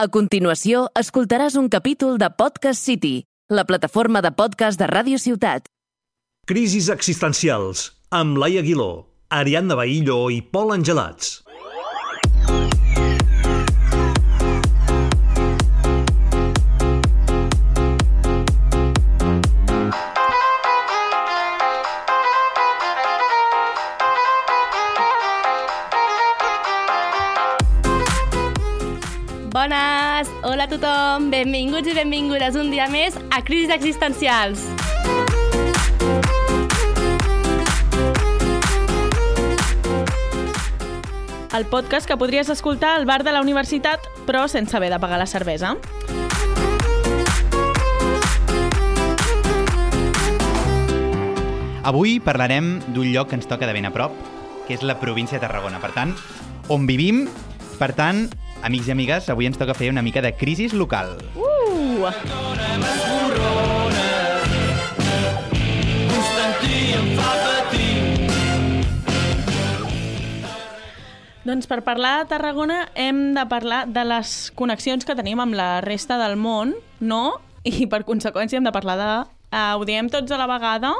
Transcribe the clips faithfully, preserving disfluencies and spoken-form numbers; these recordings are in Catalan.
A continuació, escoltaràs un capítol de Podcast City, la plataforma de podcast de Ràdio Ciutat. Crisis existencials, amb Laia Aguiló, Ariadna Bahillo i Pol Angelats. Bones! Hola a tothom! Benvinguts i benvingudes un dia més a Crisis Existencials. El podcast que podries escoltar al bar de la universitat, però sense haver de pagar la cervesa. Avui parlarem d'un lloc que ens toca de ben a prop, que és la província de Tarragona. Per tant, on vivim, per tant, amics i amigues, avui ens toca fer una mica de crisis local. Uh! Doncs per parlar de Tarragona hem de parlar de les connexions que tenim amb la resta del món, no? I per conseqüència hem de parlar de... Uh, ho diem tots a la vegada?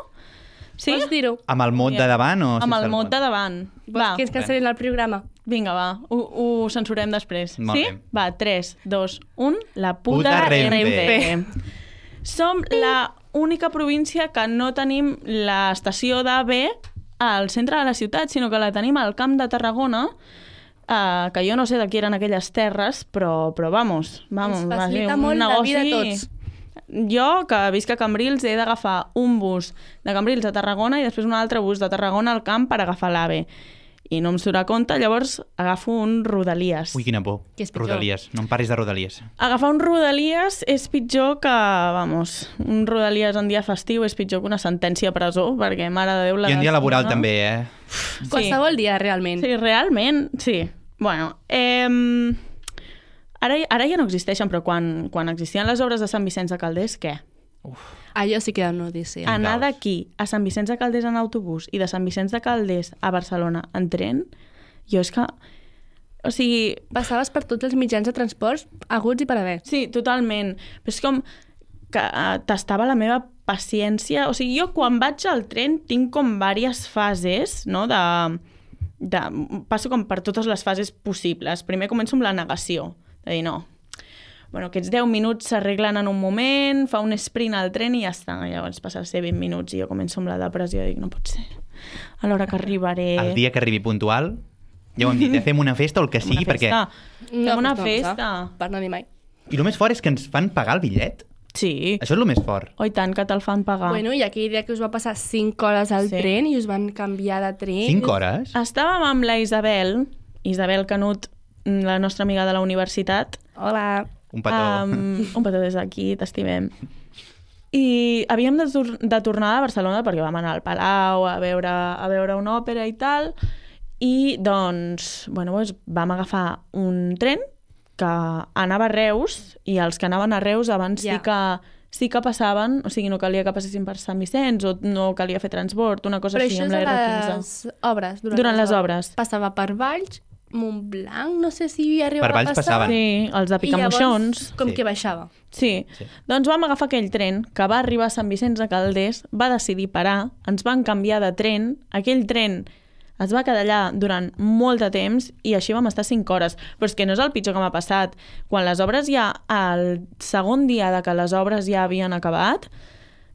Sí? Pots dir-ho? Amb el mot de davant o sense Amb el mot de davant. Vols que ens cancel·lin el programa? Vinga, va, ho, ho censurem després. Molt sí? bé. Va, tres, dos, un... La puta, Puta Renfe. Renfe. Som la única província que no tenim l'estació d'A V al centre de la ciutat, sinó que la tenim al Camp de Tarragona, eh, que jo no sé de qui eren aquelles terres, però, però vamos, vamos. Ens va ser facilita un molt la negoci... vida a tots. Jo, que visc a Cambrils, he d'agafar un bus de Cambrils a Tarragona i després un altre bus de Tarragona al camp per agafar l'AVE. I no em surt a compte, llavors agafo un Rodalies. Ui, quina por. Què és pitjor? Rodalies. No em parlis de Rodalies. Agafar un Rodalies és pitjor que, vamos, un Rodalies en dia festiu és pitjor que una sentència a presó, perquè, mare de Déu... La I en dia laboral no? també, eh? Sí. Qualsevol dia, realment. Sí, realment, sí. Bueno, eh, ara, ara ja no existeixen, però quan, quan existien les obres de Sant Vicenç de Calders, què? Allò sí que era una odissea. Anar caos. d'aquí a Sant Vicenç de Calders en autobús i de Sant Vicenç de Calders a Barcelona en tren, jo és que... O sigui... Passaves per tots els mitjans de transports aguts i per haver. Sí, totalment. Però és com que uh, tastava la meva paciència. O sigui, jo quan vaig al tren tinc com diverses fases, no?, de... de... Passo com per totes les fases possibles. Primer començo amb la negació, de dir no. Bueno, aquests deu minuts s'arreglen en un moment, fa un sprint al tren i ja està. Llavors passa a ser vint minuts i jo començo amb la depressió i dic, no pot ser. A l'hora que arribaré... El dia que arribi puntual, ja ho hem dit, eh? Fem una festa o el que sigui, una festa. perquè... Fem una no, festa. No, per no dir mai. I el més fort és que ens fan pagar el bitllet. Sí. Això és el més fort. Oh, i tant, que te'l fan pagar. Bueno, i aquell dia que us va passar cinc hores al Sí. tren i us van canviar de tren. Cinc hores? Estàvem amb la Isabel, Isabel Canut, la nostra amiga de la universitat. Hola. Un petó. Um, un petó des d'aquí, t'estimem. I havíem de, tor de tornar a Barcelona perquè vam anar al Palau a veure, a veure una òpera i tal, i doncs, bueno, doncs vam agafar un tren que anava a Reus, i els que anaven a Reus abans Ja. sí que sí que passaven, o sigui, no calia que passessin per Sant Vicenç o no calia fer transport, una cosa Però així això amb és la a R les quinze. obres. Durant, Durant les obres. Passava per Valls, Montblanc, no sé si hi arribava Per Valls a passar. passaven. Sí, els de I Picamoixons. llavors, com Sí. que baixava. Sí. Sí. Doncs vam agafar aquell tren que va arribar a Sant Vicenç de Calders, va decidir parar, ens van canviar de tren, aquell tren es va quedar allà durant molt de temps i així vam estar cinc hores. Però és que no és el pitjor que m'ha passat. Quan les obres ja, el segon dia de que les obres ja havien acabat,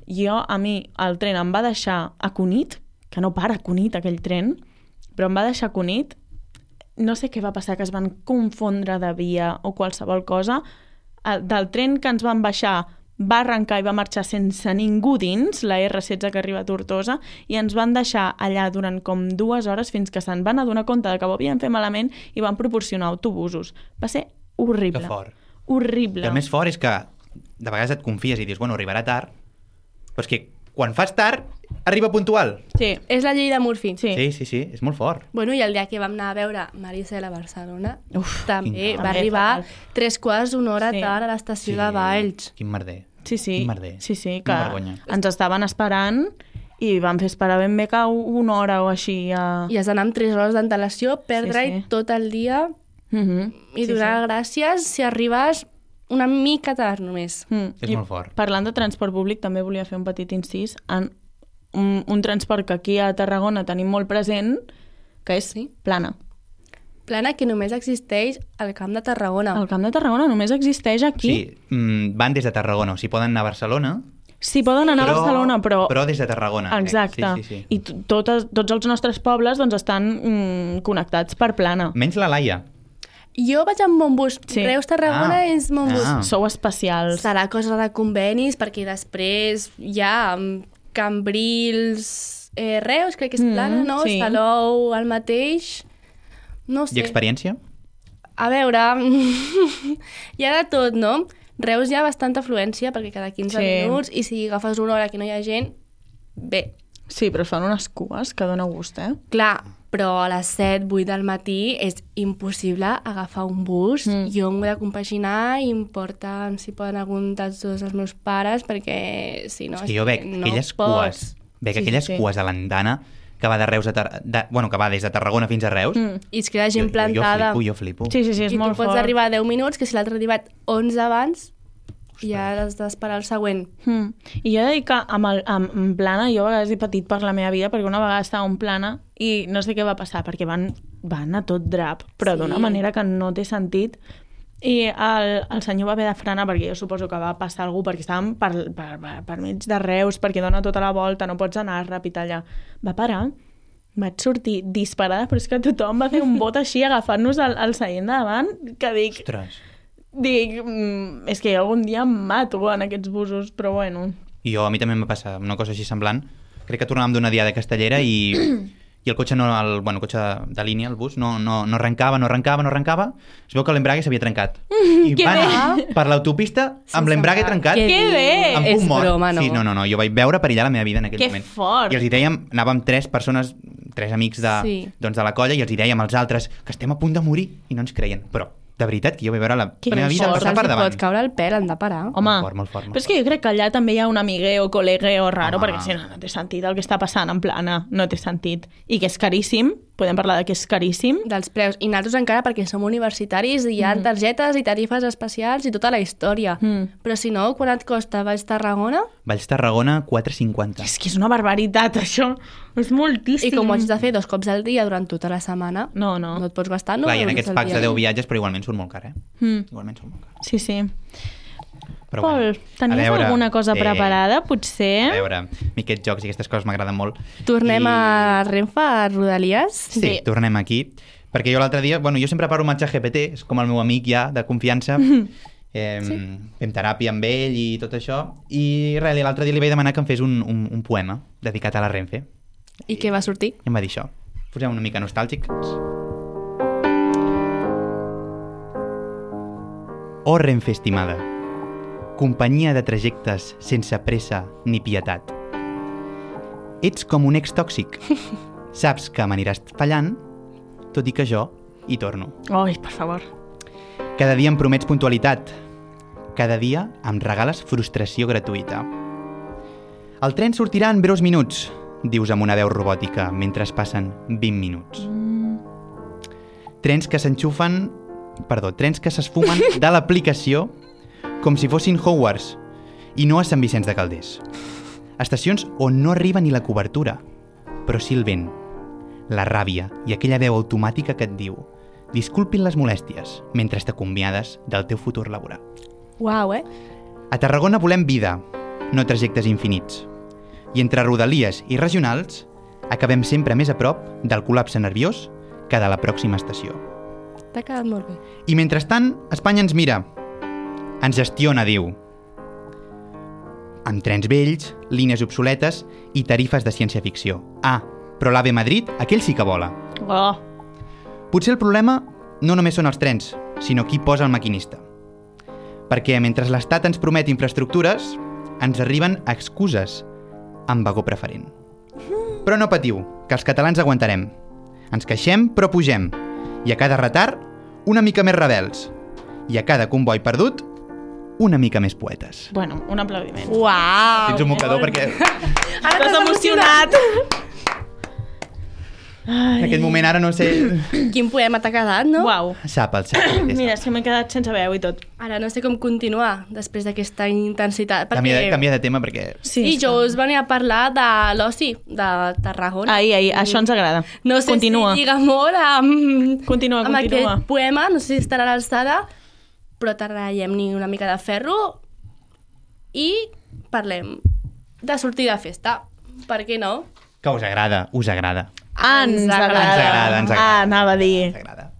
jo, a mi, el tren em va deixar a Cunit, que no para a Cunit aquell tren, però em va deixar a Cunit. No sé què va passar, que es van confondre de via o qualsevol cosa. El, del tren que ens van baixar va arrencar i va marxar sense ningú dins, la R setze que arriba a Tortosa, i ens van deixar allà durant com dues hores fins que se'n van adonar compte de que ho havien fet malament i van proporcionar autobusos. Va ser horrible. Que fort. Horrible. I el més fort és que de vegades et confies i dius, bueno, arribarà tard, però és que quan fas tard, arriba puntual. Sí. És la llei de Murphy. Sí. Sí, sí, sí, és molt fort. Bueno, i el dia que vam anar a veure Maricel a Barcelona, Uf, també quin va caos. arribar També tres quarts d'una hora Sí. tard a l'estació de Valls. Quin merder. Sí, sí. Quin merder. Sí, sí, que Quina vergonya. ens estaven esperant i van fer esperar ben bé que una hora o així. A... I has d'anar amb tres hores d'antelació, perdre-hi Sí, sí. tot el dia Mm-hmm. I Sí, donar gràcies si arribes una mica tard només. Mm. És I molt fort. Parlant de transport públic, també volia fer un petit incís en un, un transport que aquí a Tarragona tenim molt present, que és Sí. plana. Plana que només existeix al Camp de Tarragona. El Camp de Tarragona només existeix aquí. Sí, mm, van des de Tarragona, o sigui, poden anar a Barcelona, Sí, poden anar però, a Barcelona, però... però des de Tarragona. crec. Exacte. Sí, sí, sí. I t- totes, tots els nostres pobles doncs, estan mm, connectats per plana. Menys la Laia. Jo vaig amb Montbus. Sí. Reus-Tarragona Ah. és Montbus. Ah. Sou especials. Serà cosa de convenis, perquè després hi ha Cambrils, eh, Reus, crec que és Mm, plana, no? sí. Salou, el mateix... No sé. I experiència? A veure, hi ha de tot, no? Reus hi ha bastanta afluència, perquè cada quinze Sí. minuts, i si agafes una hora que no hi ha gent, bé. Sí, però es fan unes cues que dona gust, eh? Clar, però a les set, vuit del matí és impossible agafar un bus. Mm. Jo m'ho he de compaginar i em porten, si poden, algun dels dos els meus pares, perquè si no... És que jo veig no aquelles pots. cues, veig Sí, aquelles sí, sí. cues a l'andana que va de Reus a Tar... de... bueno, que va des de Tarragona fins a Reus. Mm. I es queda gent plantada. Jo, jo flipo, jo flipo. Sí, sí, sí, és I molt tu pots fort. arribar a deu minuts, que si l'altre ha arribat onze abans, ja has d'esperar el següent. Mm. I jo he de dir que amb, el, amb, amb plana jo a vegades he patit per la meva vida perquè una vegada estava en plana i no sé què va passar perquè van, van a tot drap, però Sí. d'una manera que no té sentit. I el, el senyor va haver de frenar perquè jo suposo que va passar algú perquè estàvem per, per, per, per mig de Reus, perquè dona tota la volta, no pots anar ràpid allà. Va parar, vaig sortir disparada, però és que tothom va fer un bot així agafant-nos al, al seient de davant, que dic, Ostres. dic mm, és que jo algun dia em mato en aquests busos, però bueno. I jo, a mi també em va passar una cosa així semblant. Crec que tornàvem d'una diada castellera i, i el cotxe, no, el, bueno, el cotxe de, de línia, el bus, no, no, no arrencava, no arrencava, no arrencava. Es veu que l'embrague s'havia trencat. I que van bé! anar per l'autopista amb Sense l'embrague embrague. trencat. Que Que bé! Amb És punt mort. broma, no? Sí, no, no, no. Jo vaig veure perillar la meva vida en aquell Que moment. fort! I els hi dèiem, anàvem tres persones, tres amics de, Sí. doncs de la colla, i els hi dèiem als altres que estem a punt de morir i no ens creien. Però, de veritat, que jo vaig veure la, Que la meva vida fort, passar per Se'ls davant. pot caure el pèl, han de parar. Home, Molt fort, molt fort, molt però és que jo crec que allà també hi ha un amigueo, col·legueo raro, Home. perquè si no, no té sentit el que està passant en plana, no té sentit. I que és caríssim, podem parlar de que és caríssim. Dels preus. I nosaltres encara perquè som universitaris i hi ha targetes i tarifes especials i tota la història. Mm. Però si no, quan et costa Valls Tarragona? Valls Tarragona, quatre cinquanta. És que és una barbaritat, això. És moltíssim. I com ho haig de fer dos cops al dia durant tota la setmana, No, no. no et pots gastar, no? Clar, i en euros aquests al packs dia. de deu viatges, però igualment surt molt car, eh? Mm. Igualment surt molt car. Sí, sí. Però Pol, bueno, tenies a veure, alguna cosa eh, preparada, A potser? veure, a mi aquests jocs i aquestes coses m'agraden molt. Tornem I... a Renfe, a Rodalies? Sí, Sí. tornem aquí. Perquè jo l'altre dia, bueno, jo sempre parlo amb el G P T, és com el meu amic ja, de confiança. Eh, sí. Fem teràpia amb ell i tot això. I res, l'altre dia li vaig demanar que em fes un, un, un poema dedicat a la Renfe. I què va sortir? I em va dir això. Posem una mica nostàlgics. Oh, Renfe estimada, companyia de trajectes sense pressa ni pietat. Ets com un ex tòxic. Saps que m'aniràs fallant, tot i que jo hi torno. Ai, per favor. Cada dia em promets puntualitat. Cada dia em regales frustració gratuïta. El tren sortirà en breus minuts, dius amb una veu robòtica, mentre es passen vint minuts. Trens que s'enxufen... Perdó, trens que s'esfumen de l'aplicació com si fossin Hogwarts i no a Sant Vicenç de Calders. Estacions on no arriba ni la cobertura, però sí el vent, la ràbia i aquella veu automàtica que et diu disculpin les molèsties mentre t'acomiades del teu futur laboral. Uau, eh? A Tarragona volem vida, no trajectes infinits. I entre rodalies i regionals acabem sempre més a prop del col·lapse nerviós que de la pròxima estació. T'ha quedat molt bé. I mentrestant, Espanya ens mira. Ens gestiona, diu. Amb trens vells, línies obsoletes i tarifes de ciència-ficció. Ah, però l'Ave Madrid, aquell sí que vola. Oh, Potser el problema no només són els trens, sinó qui posa el maquinista. Perquè mentre l'Estat ens promet infraestructures, ens arriben excuses amb vagó preferent. Però no patiu, que els catalans aguantarem. Ens queixem, però pugem. I a cada retard, una mica més rebels. I a cada comboi perdut, una mica més poetes. bueno, un aplaudiment. Uau! Tens un mocador perquè... Estàs emocionat! En aquest moment ara no sé... Quin poema t'ha quedat, no? Uau. Sap, el sap. el té, Mira, sap. és que m'he quedat sense veu i tot. Ara no sé com continuar després d'aquesta intensitat. Perquè... Canvia, de, canvia de tema perquè... Sí, I està. jo us venia a parlar de l'oci de Tarragona. Ai, ai, això ens agrada. No sé Continua. si lliga molt amb, Continua, amb continua. aquest poema, no sé si estarà a l'alçada, però t'arraiem-ni una mica de ferro i parlem de sortir de festa. Per què no? Que us agrada, us agrada. Ens Ens agrada. agrada. Ens agrada, ens agrada. Ah, anava a dir. Ens agrada.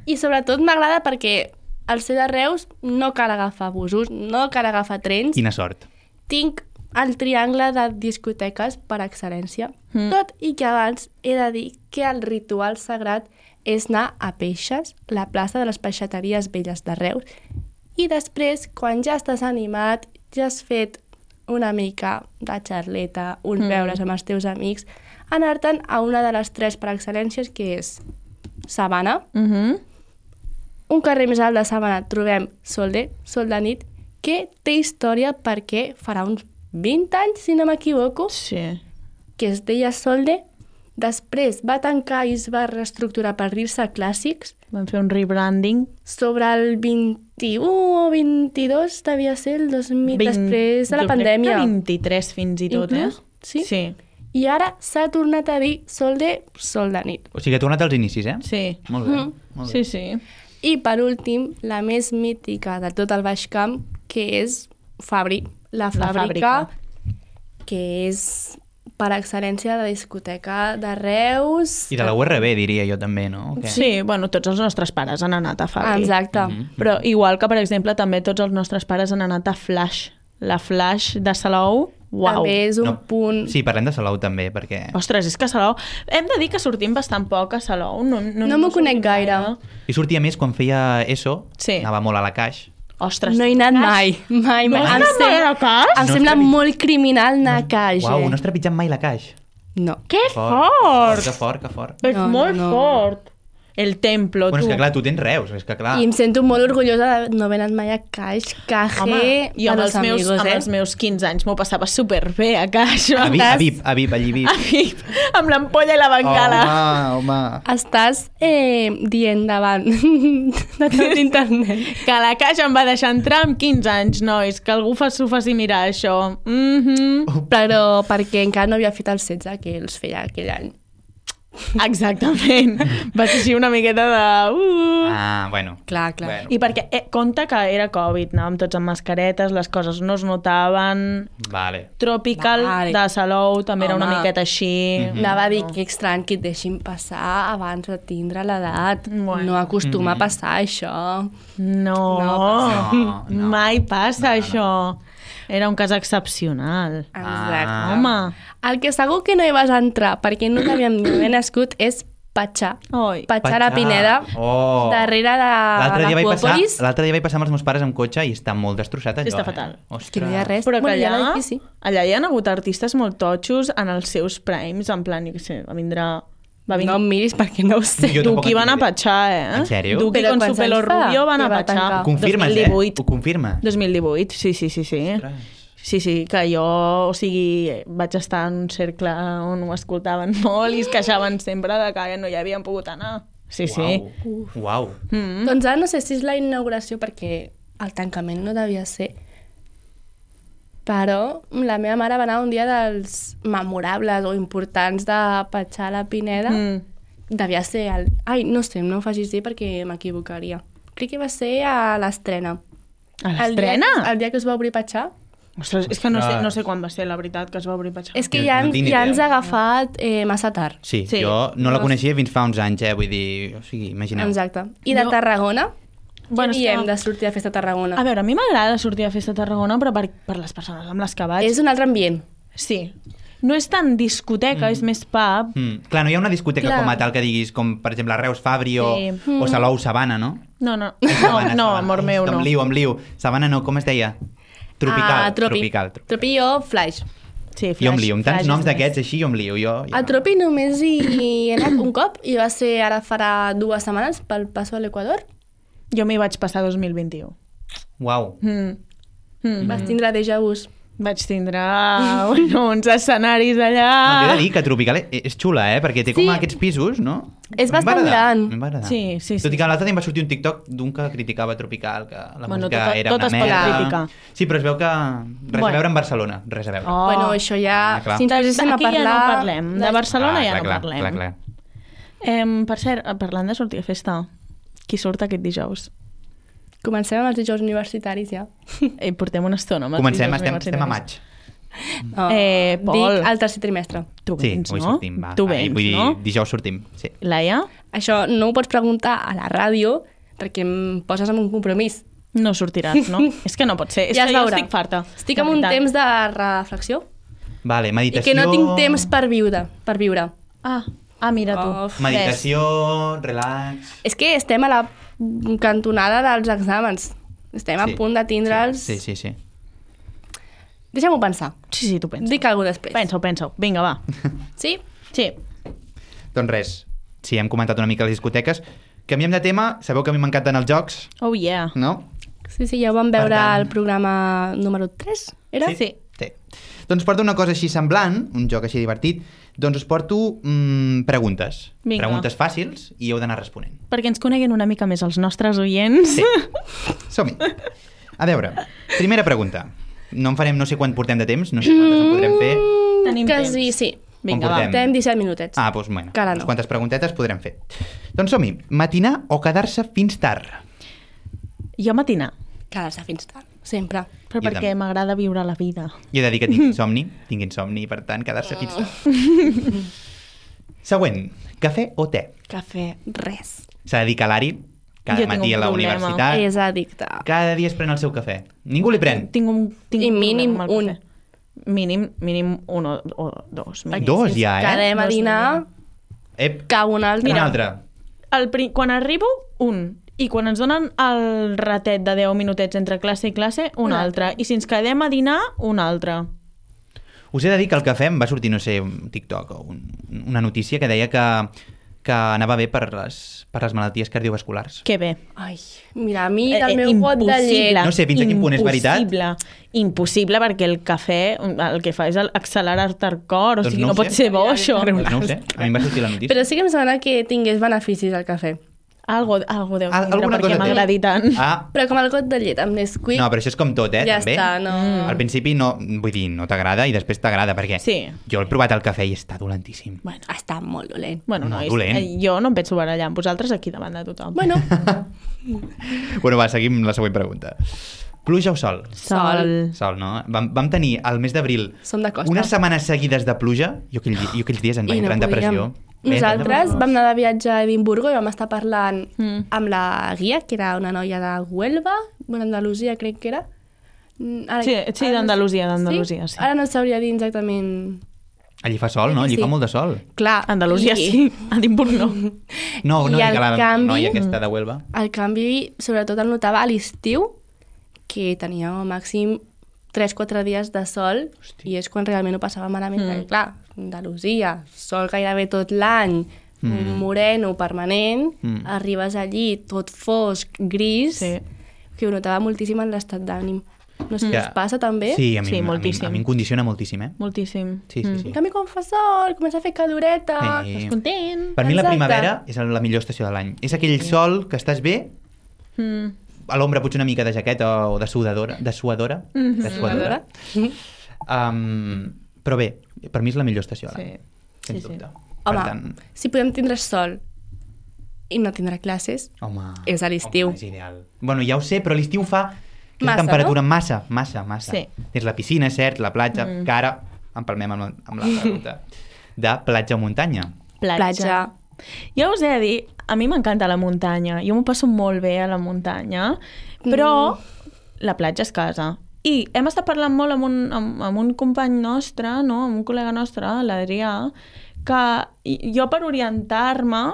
I sobretot m'agrada perquè al ser de Reus no cal agafar busos, no cal agafar trens. Quina sort. Tinc el triangle de discoteques per excel·lència. Mm. Tot i que abans he de dir que el ritual sagrat és anar a Peixes, la plaça de les peixateries velles de Reus, i després, quan ja estàs animat, ja has fet una mica de xarleta, un Mm. beures amb els teus amics, anar-te'n a una de les tres per excel·lències, que és Sabana. Uh -huh. Un carrer més alt de Sabana trobem Solde, Sol de nit, que té història perquè farà uns vint anys, si no m'equivoco, Sí. que es deia Solde. Després va tancar i es va reestructurar per dir-se Clàssics. Vam fer un rebranding. Sobre el vint-i-u o vint-i-dos devia ser el dos mil, Vint- després de la jo crec pandèmia. que vint-i-tres fins i tot, Inclús, eh? sí. Sí. I ara s'ha tornat a dir Solde, Sol de nit. O sigui, ha tornat als inicis, eh? Sí. Molt bé. Mm. Molt bé. Sí, sí. I per últim, la més mítica de tot el Baix Camp, que és Fabri, la La fàbrica, fàbrica. que és per excel·lència de discoteca de Reus. I de la U R B, diria jo també, no? Que... Sí, bueno, tots els nostres pares han anat a Fabri. Exacte. Mhm. Però igual que, per exemple, també tots els nostres pares han anat a Flash. La Flash de Salou, uau. També és un No. punt... Sí, parlem de Salou també, perquè... Ostres, és que a Salou... Hem de dir que sortim bastant poc a Salou. No, no, No m'ho sortim conec gaire. I sortia més quan feia ESO, Sí. anava molt a la Caix. Ostres. No he anat Caix. mai, mai, No mai. has Em anat mai a la Caix? Em No sembla has trepit- molt criminal anar a Caix, Uau, eh? no has trepitjat mai la Caix. No. Que Fort, fort! que fort, que fort. És No, no, molt no. fort. El templo, Bueno, tu. és que clar, tu tens Reus, és que clar... I em sento molt orgullosa de no haver anat mai a Caix. Caje Home, i amb per els, als meus, amigos, amb eh? els meus quinze anys m'ho passava superbé a Caix. A VIP, a VIP, a VIP, allí VIP. A VIP, amb l'ampolla i la bengala. Home, home. Estàs eh, dient davant de tot internet. Que la Caixa em va deixar entrar amb quinze anys, nois. Que algú s'ho faci mirar, això. Mm -hmm. Però perquè encara no havia fet el setze que els feia aquell any. Exactament. Va ser així una miqueta de... Uh. Ah, bueno. Clar, clar. Bueno. I perquè, eh, compte que era Covid, anàvem tots amb mascaretes, les coses no es notaven... Vale. Tropical Vale. de Salou també era una Home. miqueta així. Mhm. Anava a dir que estrany que et deixin passar abans de tindre l'edat. Bueno. No acostuma Mhm. a passar això. No, No, no. mai passa No, no. això. Era un cas excepcional. Exacte. Ah. Home, El que segur que no hi vas entrar perquè no t'havíem ni haver nascut és Patxà. oi. Patxà a la Patxà. Pineda, Oh. darrere de L'altre dia, vaig passar, l'Aquòpolis. l'altre dia vaig passar amb els meus pares amb cotxe i està molt destrossat allò. Està eh? fatal. Ostres. Que no hi ha res. Però que Bueno, hi ha allà, l'edifici. allà hi ha hagut artistes molt totxos en els seus primes, en plan, jo què sé, va vindre... Va vindre... No em miris perquè no ho sé. Jo tampoc Duki en van a tinc idea. Patxà, eh? En sèrio? Duki Però con su quants pelo anys fa rubio van a que va Patxà. tancar? Ho confirmes, dos mil divuit. eh? Ho confirma. dos mil divuit, sí, sí, sí, sí. Ostres. Sí, sí, que jo, o sigui, vaig estar en un cercle on ho escoltaven molt i es queixaven sempre de que no hi havien pogut anar. Sí, sí. Uau. Uau. Mm. Doncs ara no sé si és la inauguració perquè el tancament no devia ser, però la meva mare va anar un dia dels memorables o importants de Patxà a la Pineda. Mm. Devia ser el... Ai, no sé, no ho facis dir perquè m'equivocaria. Crec que va ser a l'estrena. A El dia- l'estrena? El dia que es va obrir Patxà. Ostres, és que no sé, Ostres. no sé quan va ser, la veritat, que es va obrir Patxà. És que Jo ja, no ens, tinc ni ja idea. ens ha agafat eh, massa tard. Sí, Sí. jo no la No. coneixia fins fa uns anys, eh? Vull dir, o sigui, imagineu. Exacte. I de Jo- Tarragona? Bueno, Què és que- diem de sortir de festa a Tarragona? A veure, a mi m'agrada sortir a festa a Tarragona, però per, per les persones amb les que vaig... És un altre ambient. Sí. No és tan discoteca, Mm. és més pub. Mm. Clar, no hi ha una discoteca Clar. com a tal que diguis, com per exemple Reus Fabri o, Sí. o Salou Sabana, no? No, no. Ai, No, Sabana, no, Sabana. amor meu, no. Em liu, em liu. Sabana no, com es deia? Tropical. Ah, tropi. Tropical. tropical. Tropi o Flash. Sí, Jo em liu, amb tants flash noms és més. d'aquests així jo em liu. Jo, ja... A Tropi només hi he anat un cop i va ser ara farà dues setmanes pel Paso de l'Equador. Jo m'hi vaig passar dos mil vint-i-u. Uau. Mm. Mm. Vas tindre déjà vus. Vaig tindre bueno, uns escenaris allà... No, he de dir que Tropical és xula, eh? Perquè té com Sí. aquests pisos, no? És A mi em va bastant agradar, gran. a mi em va agradar. Sí, sí, sí. Tot i que l'altre dia em va sortir un TikTok d'un que criticava Tropical, que la Bueno, música tot- era tot una es pot merda. criticar. Sí, però es veu que res Bueno. a veure amb Barcelona, res a veure. Oh. Bueno, això ja... Ah, clar. si ens poséssim a Aquí ja parlar... no parlem. De Barcelona Ah, ja clar, no clar, parlem. Clar, clar. Eh, per cert, parlant de sortir a festa, qui surt aquest dijous? Comencem amb els dijous universitaris, ja. Eh, portem una estona amb els Comencem, dijous estem, estem a universitaris. maig. No, Eh, Pol. Dic el tercer trimestre. Tu Sí, vens, avui no? sortim, va. Tu va, vens, vull dir, no? dijous sortim, sí. Laia? Això no ho pots preguntar a la ràdio perquè em poses en un compromís. No sortiràs, no? És que no pot ser. És Ja que es jo veurà. estic farta. Estic de en un veritat. temps de reflexió Vale, i meditació... que no tinc temps per viure. Per viure. Ah, ah mira tu. Of. Meditació, relax... És que estem a la cantonada dels exàmens. Estem Sí. a punt de tindre'ls... Sí, sí, sí. Deixa'm-ho pensar. Sí, sí, tu pensa. Dic alguna cosa després. Pensa-ho, pensa-ho. Vinga, va. Sí? Sí. Doncs res, sí, hem comentat una mica les discoteques. Canviem de tema, sabeu que a mi m'encanten els jocs, Oh, yeah. no? Sí, sí, ja ho vam veure Per tant- al programa número tres, era? Sí. Sí. Doncs porto una cosa així semblant, un joc així divertit, doncs us porto mm, preguntes. Vinga. Preguntes fàcils i heu d'anar responent. Perquè ens coneguin una mica més els nostres oients. Sí. Som-hi. A veure, primera pregunta. No en farem, no sé quan portem de temps, no sé quantes en podrem fer. Tenim Quasi, temps. sí. Vinga, On va. portem? Portem disset minutets. Ah, doncs bueno, Que ara unes no. quantes preguntetes podrem fer. Doncs som-hi. Matinar o quedar-se fins tard? Jo matinar, Quedar-se fins tard, sempre. però Jo perquè també. m'agrada viure la vida. Jo he de dir que tinc insomni, tinc insomni, i per tant, quedar-se fins tard. Següent, cafè o te? Cafè, res. S'ha de dir que l'Ari, cada Jo tinc matí un a la problema. universitat, És addicte. cada dia es pren el seu cafè. Ningú li pren. Tinc un, tinc I un mínim problema amb el un. cafè. Mínim, mínim un o, o dos. Mínim. Dos ja, eh? Quedem a Dos dinar, Ep, cau un altre. quin altre? El, pri- quan arribo, un. I quan ens donen el ratet de deu minutets entre classe i classe, un, Un altre. altre. I si ens quedem a dinar, un altre. Us he de dir que el cafè em va sortir, no sé, un TikTok o un, una notícia que deia que, que anava bé per les, per les malalties cardiovasculars. Que bé. Ai, mira, a mi Eh, del eh, meu got de impossible. llet... No sé fins a quin punt és veritat. Impossible. Impossible, perquè el cafè el que fa és accelerar-te el cor, o Doncs sigui, no no, ho pot sé. ser bo, això. Doncs no ho sé, a mi em va sortir la notícia. Però sí que em sembla que tingués beneficis al cafè. Algo, algo deu Al- tindre alguna perquè cosa té. m'agradi tant. Ah, Però com el got de llet amb Nesquik, no, però això és com tot, eh, ja també. està, no... Al principi no, vull dir, no t'agrada i després t'agrada, perquè Sí. jo he provat el cafè i està dolentíssim. Bueno, Està molt dolent. bueno No, nois, dolent. eh, jo no em penso barallar amb vosaltres aquí davant de tothom. Bueno, Bueno, va, seguim la següent pregunta. Pluja o sol? sol. Sol, no? Vam, vam tenir al mes d'abril Som de costa. unes setmanes seguides de pluja. Jo, aquell, jo aquells dies em vaig I entrar en depressió. podíem. Nosaltres vam anar de viatge a Edimburgo i vam estar parlant Mm. amb la guia, que era una noia de Huelva, bueno, Andalusia crec que era. Mm, Ara, Sí, sí, ara no- d'Andalusia, d'Andalusia, sí. Ara no sabria dir exactament... Allí fa sol, no? Allí Sí. fa molt de sol. Clar, Andalusia i- sí, Edimburg no. No, no, I dic el a la canvi- noia aquesta de Huelva. El canvi, sobretot el notava a l'estiu, que tenia al màxim tres quatre dies de sol, Hosti. i és quan realment ho passava malament. Mm. Mm. Perquè, clar, Andalusia, sol gairebé tot l'any, Mm. mm. moreno permanent, Mm. mm. arribes allí tot fosc, gris, Sí. que ho notava moltíssim en l'estat d'ànim. No sé si Ja. us passa també. Sí, a mi, Sí, a mi, moltíssim. a mi em condiciona moltíssim, eh? Moltíssim. Sí, sí, sí. En canvi, quan fa sol, comença a fer caloreta... Sí. Estàs content? Per mi la Exacte. primavera és la millor estació de l'any. És aquell sol que estàs bé, Mm. a l'ombra potser una mica de jaqueta o de sudadora, de suadora, Mm-hmm. de suadora. Um, però bé, per mi és la millor estació de l'any, Sí. sens Sí, sí. dubte. Home, Per tant, si podem tindre sol i no tindre classes, home, és a l'estiu. home, és ideal. Bueno, ja ho sé, però l'estiu fa que Massa, la temperatura massa, massa, massa. Sí. Tens la piscina, és cert, la platja, Mm. que ara empalmem amb, amb la pregunta de platja o muntanya. Platja. platja. Jo us he de dir, a mi m'encanta la muntanya. Jo m'ho passo molt bé a la muntanya, però la platja és casa. I hem estat parlant molt amb un, amb, amb un company nostre, no? Amb un col·lega nostre, l'Adrià, que jo per orientar-me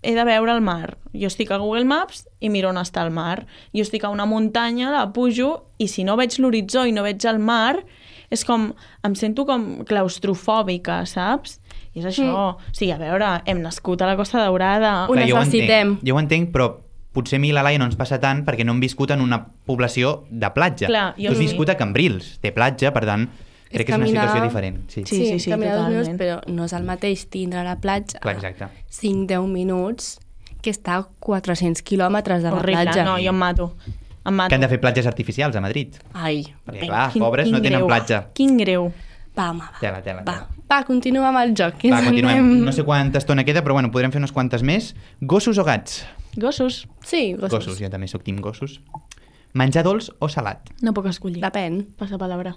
he de veure el mar. Jo estic a Google Maps i miro on està el mar. Jo estic a una muntanya, la pujo, i si no veig l'horitzó i no veig el mar, és com, em sento com claustrofòbica, saps? I és això. Mm. O sigui, a veure, hem nascut a la Costa Daurada. Ho Clar, jo ho necessitem. entenc, jo ho entenc, però potser a mi la Laia no ens passa tant perquè no hem viscut en una població de platja. Clar, jo tu has sí. viscut a Cambrils, té platja, per tant, crec que és una caminar- situació diferent. Sí, Sí, sí, sí, caminar dos totalment. minuts, però no és el mateix tindre a la platja Clar, exacte. cinc a deu minuts que està a quatre-cents quilòmetres de la Horrible, platja. no, jo em mato. Em mato. Que han de fer platges artificials a Madrid. Ai, Perquè, vinga. clar, pobres no tenen greu. platja. Quin greu. Va, home, va. Tela, tela, Va, tela. va, continua amb el joc. que Va, ens continuem. anem- No sé quanta estona queda, però bueno, podrem fer unes quantes més. Gossos o gats? Gossos. Sí, gossos. Gossos, jo també sóc team gossos. Menjar dolç o salat? No puc escollir. Depèn. Passa palabra.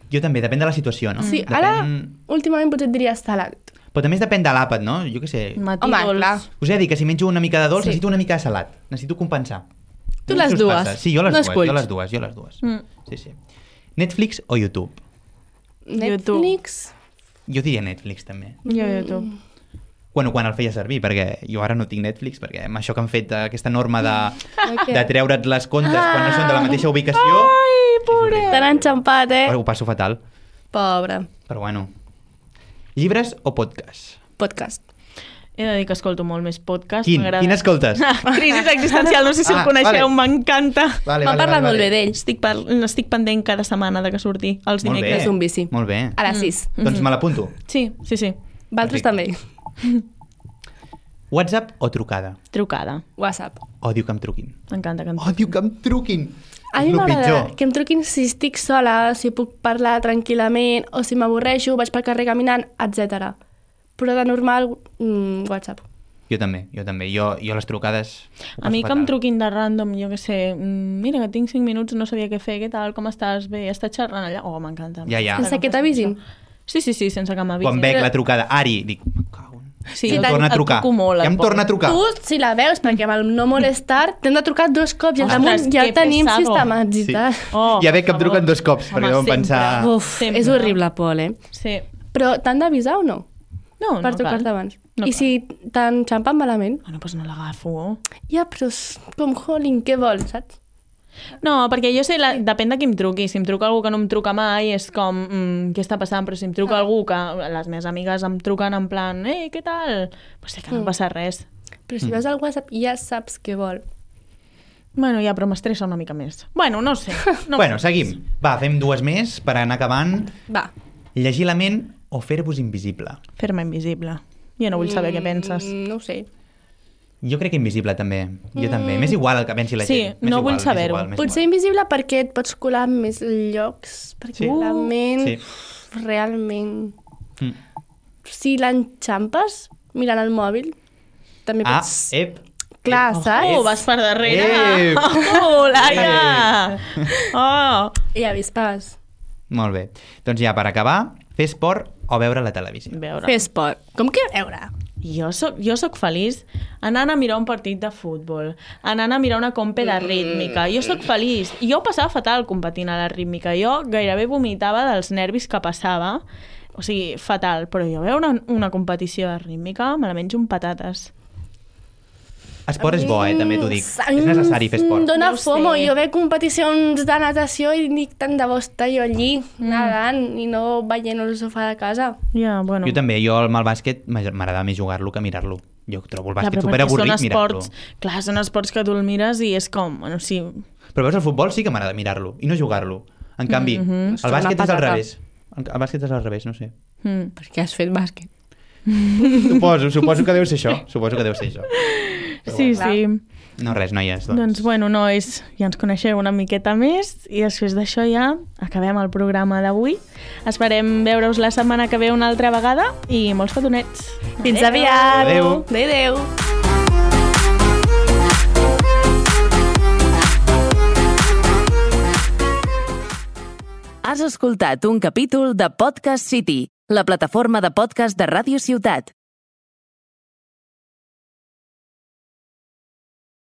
Jo també, depèn de la situació, no? Sí, depèn... ara, últimament potser et diria salat. Però també depèn de l'àpat, no? Jo què sé. Matí Home, dolç. clar. Us he de dir que si menjo una mica de dolç, Sí. necessito una mica de salat. Necessito compensar. Tu No sé les si us dues. passa. Sí, jo les No dues, esculls. jo les dues, jo les dues. Mm. Sí, sí. Netflix o YouTube? Netflix... Jo diria Netflix, també. Jo, YouTube. Bueno, quan el feia servir, perquè jo ara no tinc Netflix, perquè amb això que han fet, aquesta norma de, què? de treure't les comptes quan no són de la mateixa ubicació... Ai, pobre. T'han enxampat, eh? Ho passo fatal. Pobre. Però bueno. Llibres o podcast? Podcast. He de dir que escolto molt més podcast. Quin? m'agrada. Quin escoltes? Crisis existencial, no sé si Ah, el coneixeu, vale. m'encanta. Vale, M'han parlat molt bé d'ell. Estic, par... estic pendent cada setmana de que surti els Molt bé. dimecres. És un vici. Molt bé. A les sis. Doncs me l'apunto. Sí, sí, sí. Valtros Perfecte. també. WhatsApp o trucada? Trucada. WhatsApp. Odio que em truquin. M'encanta que em Odio que em truquin. A mi És lo m'agrada pitjor. que em truquin si estic sola, si puc parlar tranquil·lament, o si m'avorreixo, vaig pel carrer caminant, etcètera. Però de normal, mm, WhatsApp. Jo també, jo també. Jo, jo les trucades... ho A mi passo que em fatal. truquin de random, jo què sé, mm, mira que tinc cinc minuts, no sabia què fer, què tal, com estàs, bé, estàs xerrant allà? Oh, m'encanta. Ja, ja. Sense que t'avisin. Sí, sí, sí, sense que m'avisin. Quan veig la trucada, Ari, dic, me cago en... Sí, Sí, el, tant- torna a el trucar. toco molt, Ja el em torna a pobre. trucar. Tu, si la veus, perquè amb el no molestar, t'hem de trucar dos cops i al Ostres, damunt ja que el tenim pesado. sistematitzat. Oh, ja veig que em per truquen favor. dos cops, perquè Home, deuen sempre. pensar... Uf, Sempre. és horrible, Pol, eh? Sí. Però t'han d'avisar o no? No, Per no trucar-te cal. abans. No I cal. si t'enxampen malament? Bueno, doncs no l'agafo. Ja, però és com Holling, què vols, saps? No, perquè jo sé, la... depèn de qui em truqui. Si em truca algú que no em truca mai, és com, mm, què està passant? Però si em truca Ah. algú que les meves amigues em truquen en plan, ei, què tal? Pues sé que no Mm. passa res. Però si veus al WhatsApp ja saps què vol. Bueno, ja, però m'estressa una mica més. Bueno, no sé. No Bueno, sé. seguim. Va, fem dues més per anar acabant. Va. Llegir la ment o fer-vos invisible? Fer-me invisible. Jo no vull saber què penses. Mm, no ho sé. Jo crec que invisible, també. Jo també. M'és igual el que pensi la Sí, gent. M'és no vull igual, m'és saber-ho. igual, m'és Potser igual. invisible perquè et pots colar en més llocs, perquè Sí. la ment Sí. realment... Mm. Si l'enxampes mirant el mòbil, també Ah, pots... ep. Clar, ep. saps? Oh, vas per darrere. Eh! Oh, Laia! Oh! I avispes. Molt bé. Doncs ja, per acabar, fer esport o veure la televisió? Veure. Fer esport. Com que veure? Jo soc, jo soc feliç anant a mirar un partit de futbol, anant a mirar una compe de rítmica. Jo sóc feliç. I jo ho passava fatal competint a la rítmica. Jo gairebé vomitava dels nervis que passava. O sigui, fatal. Però jo veure una, una competició de rítmica me la menjo amb patates. Esport és bo, eh? També t'ho dic. Mm, És necessari fer esport. Em dóna Ja ho fomo. sé. Jo veig competicions de natació i dic tant de bo estar jo allí, nedant, i no veient el sofà de casa. Ja, bueno. Jo també, jo amb el bàsquet m'agrada més jugar-lo que mirar-lo. Jo trobo el Ja, bàsquet però super perquè són avorrit mirar-lo. esports, clar, són esports que tu el mires i és com, bueno, sí, Però veus, el futbol sí que m'agrada mirar-lo i no jugar-lo. En canvi, Mhm. el bàsquet Una és al patata. revés. El el bàsquet és al revés, no sé. mm. Perquè has fet bàsquet. Suposo, suposo que deu ser això. Suposo que deu ser això. sí, clar. sí. No, res, noies. Doncs. Doncs bueno, nois, ja ens coneixeu una miqueta més i després d'això ja acabem el programa d'avui. Esperem veure-us la setmana que ve una altra vegada i molts petonets. Fins aviat! Adéu. Adéu! Has escoltat un capítol de Podcast City, la plataforma de podcast de Ràdio Ciutat.